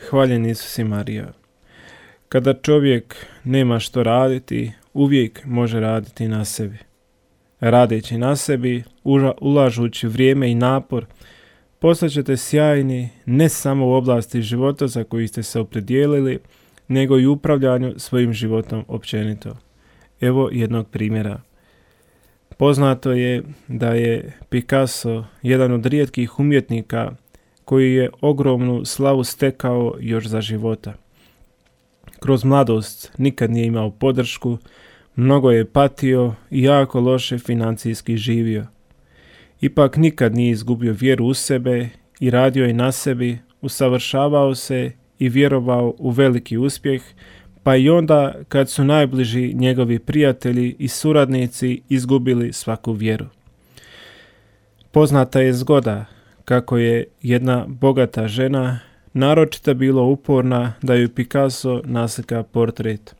hvaljen Isus i Marija. Kada čovjek nema što raditi, uvijek može raditi na sebi. Radeći na sebi, ulažući vrijeme i napor, postaćete sjajni ne samo u oblasti života za koji ste se opredijelili, nego i u upravljanju svojim životom općenito. Evo jednog primjera. Poznato je da je Picasso jedan od rijetkih umjetnika koji je ogromnu slavu stekao još za života. Kroz mladost nikad nije imao podršku, mnogo je patio i jako loše financijski živio. Ipak nikad nije izgubio vjeru u sebe i radio je na sebi, usavršavao se i vjerovao u veliki uspjeh, pa i onda kad su najbliži njegovi prijatelji i suradnici izgubili svaku vjeru. Poznata je zgoda kako je jedna bogata žena naročito bila uporna da ju Picasso naslika portret.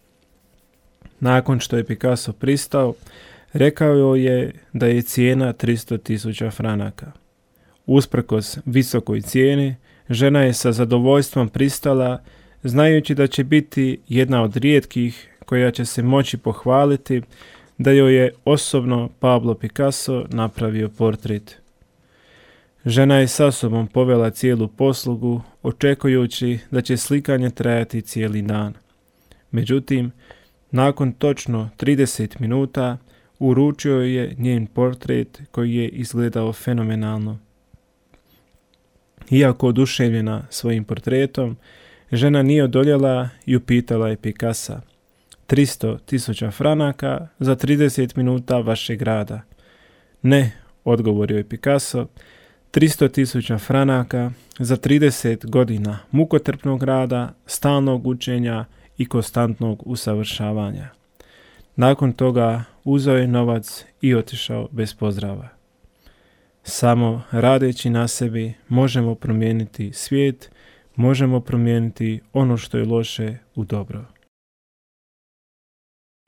Nakon što je Picasso pristao, rekao joj je da je cijena 300.000 franaka. Usprkos visokoj cijeni, žena je sa zadovoljstvom pristala, znajući da će biti jedna od rijetkih koja će se moći pohvaliti da joj je osobno Pablo Picasso napravio portret. Žena je sa sobom povela cijelu poslugu, očekujući da će slikanje trajati cijeli dan. Međutim, nakon točno 30 minuta uručio je njen portret koji je izgledao fenomenalno. Iako oduševljena svojim portretom, žena nije odoljela i upitala je Picassa: 300.000 franaka za 30 minuta vašeg rada. Ne, odgovorio je Picasso, 300.000 franaka za 30 godina mukotrpnog rada, stalnog učenja i konstantnog usavršavanja. Nakon toga uzeo je novac i otišao bez pozdrava. Samo radeći na sebi možemo promijeniti svijet, možemo promijeniti ono što je loše u dobro.